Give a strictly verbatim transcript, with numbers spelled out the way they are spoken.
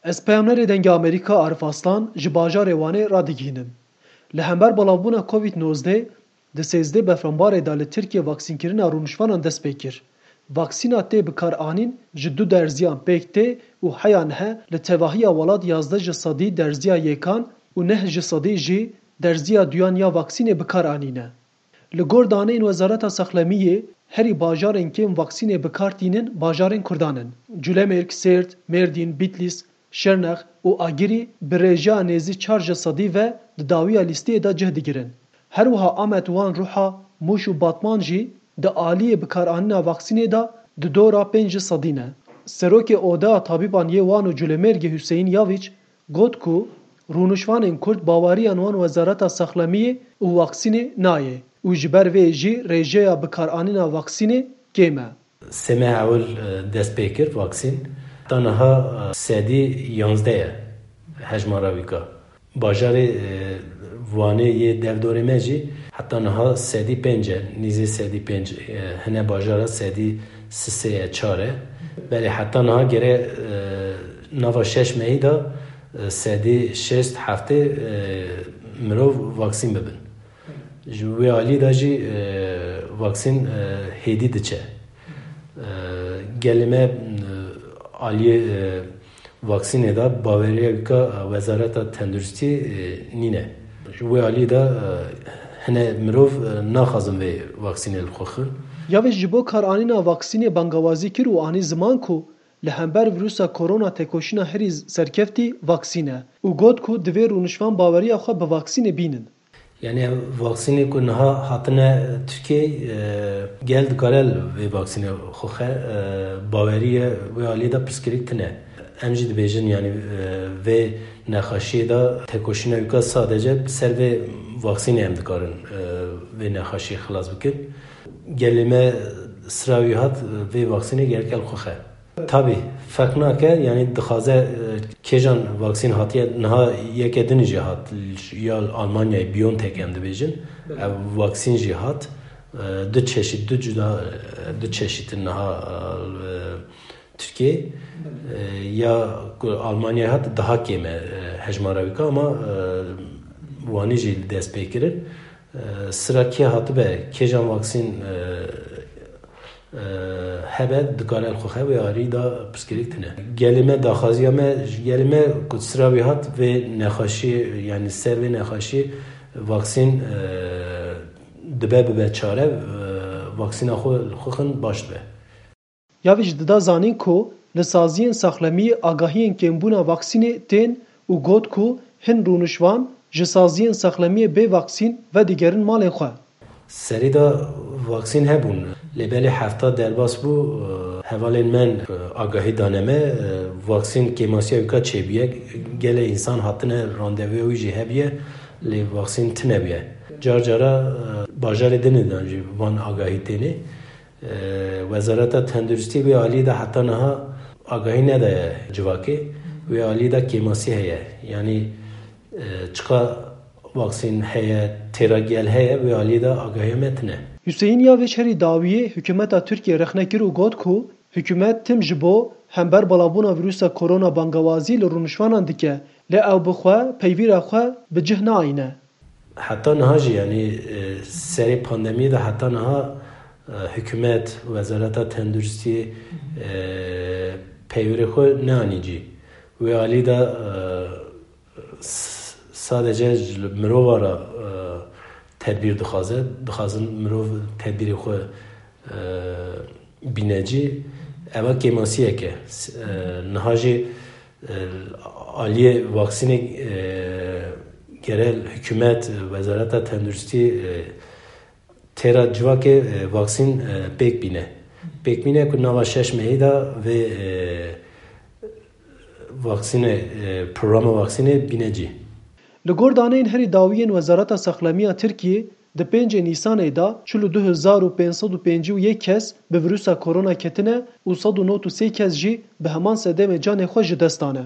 Ez peyamnerê Dengê Amerîka Arif Aslan ji bajarê Wanê radigihînim. Li hember belavbûna Covid nozdeh, di sêzdeh Befranbarê de li Tirkiye vaksînkirina rûniştvanan dest pê kir. Vaksîna tê bikaranîn ji du derziyan pêk tê û heya nihe li tevahiya welat yazdeh ji sedî derziya yekan û neh ji sedî jî derziya duyan ya vaksînê bikaranîne. Li gor daneyên Wezareta Saxlemiyê, herî bajarên kêm vaksînê bi kar tînin bajarên Kurdan in. Culemêrg, Sêrt, Mêrdîn, Bîtlîs, Şirnex û Agirî bi rêjeya nêzî çar ji sedî ve di dawiya lîsteyê de cih digirin. Her wiha Amed, Wan, Ruha, Mûş û Batman jî di aliyê bikaranîna vaksînê de di dora pênc ji sedî ne. Serokê Odeya Tabîban yê Wan û Culemêrgê Huseyîn Yavîç got ku rûnişvanên Kurd baweriyan wan Wezareta Saxlemiyê û vaksînê nayê û ji ber vê jî rêjeya bikaranîna vaksînê kêm e. Sê meh ewil, e, dest pê kir vaksîn. Heta niha, e, sedî yanzdeh ye hejmara wîka. Bajarê, e, Wanê yê devdorê me jî heta niha sedî pênc e, nîzê sedî pênc, e, hine bajara sedî sisê ye, çar e. Belê heta niha gere, e, nava şeş mehî de, e, sedî şêst heftê, e, mirov vaksîn bibin. Ji wê alî de jî, e, vaksîn, e, hêdî diçe. E, gelê me, e, aliyê, e, vaksînê de baweriya wîka, e, Wezareta Tenduristî, e, nîne. Ji wê alî de, e, hine mirov, e, naxwazin vê vaksînê li xwe xin. Yavê ji bo karanîna vaksînê bangawazî kir û anî ziman ku li hember vîrusa korona têkoşîna herî serkeftî vaksîn e û got ku divê rûnişvan baweriya xwe bi vaksînê bînin. Yanî ev vaksînê ku niha hatine Tirkiyeyê, e, gel dikare li vê vaksînê xwe xe, e, baweriye wê alî de pirsgirêk tine. Em jî dibêjin, yanî, e, vê nexweşiyê de têkoşîna wîka sadece bi ser vê vaksînê em dikarin, e, vê nexweşiyê xilas bikin. Gelê me sira wî hat, e, vê vaksînê gerek e li xwe xe. Tabî, ferq nake, yanî dixwaze, e, kêjan vaksîn hatiye, niha yeke din jî hat, ya li Almanyayê BioNTech em dibêjin. Belê. Ev vaksîn jî hat, e, du çeşît, du cuda, e, du çeşît in niha, e, Tirkiyeyê. Belê. E, ya ku Almanyayê hat, daha kêm e, e, hejmara wîka, ama, e, Wanê jî li dest pê kirin. E, sira kê hatibe, kêjan vaksîn, e, e, hebe, dikare li xwe xe, wê alî de pirsgirêk tine. Gelê me, daxwaziya me, ji gelê me ku sira wî hat, vê nexweşiyê, yanî ser vê nexweşiyê vaksîn, e, dibe bibe çare, e, vaksîna xwe li xwe xin baş dibe. Yavîç dida zanîn ku li saziyên saxlemiyê agahiyên kêmbûna vaksînê tên û got ku hin rûnişvan ji saziyên saxlemiyê bê vaksîn vedigerin malên xwe. Serî de vaksîn hebûn, lê belê hefta derbas bû, e, hevalên me, e, agahî dane me, e, vaksîn kêmasiya wîka çêbûye. Gelê însan hatine randevuya wî jî hebûye, lê vaksîn tine bûye. Car cara, e, bajarê dinê de jî van agahî têne. E, Wezareta Tenduristî wê alî de heta niha agahî nedaye civakê. Wê alî de kêmasî heye. Yanî, e, çiqa vaksîn heye, têra gel heye, wê alî de agahiya me tine. Hüseyin Yavêç herî dawiyê hikûmeta Tirkiyê rexne kir û got ku hikûmet tim ji bo hember balabûna vîrusa korona bangawazî li rûniştvanan dike, lê ew bi xwe peyvîra xwe bi cih naîne. Heta niha jî, yanî, e, serê pandemiyê de heta niha, e, hikûmet, Wezareta Tenduristiyê, e, peywirê xwe neanî cî. Wê alî de, e, s-, sadece ji mirova re, e, tedbîr dixwaze, dixwazin mirov tedbîrê xwe, e, bîne cî. Eva kêmasiyek e. S-, e, niha jî, e, aliyê vaksînê, e, gere hikûmet, Wezareta Tenduristî, e, têra civakê, e, vaksîn, e, pêk bîne. Pêk bîne ku nava şeş mehî de vê, e, vaksînê, e, programa vaksînê bîne cî. Li gor daneyên herî dawî yên Wezareta Saxlemiya Tirkiyê, di pêncê Nîsanê de çil û du hezar û pênc sed û pêncî û yek kes bi vîrusa korona ketine û sed û nod û sê kes jî bi heman sedemê canê xwe ji dest dane.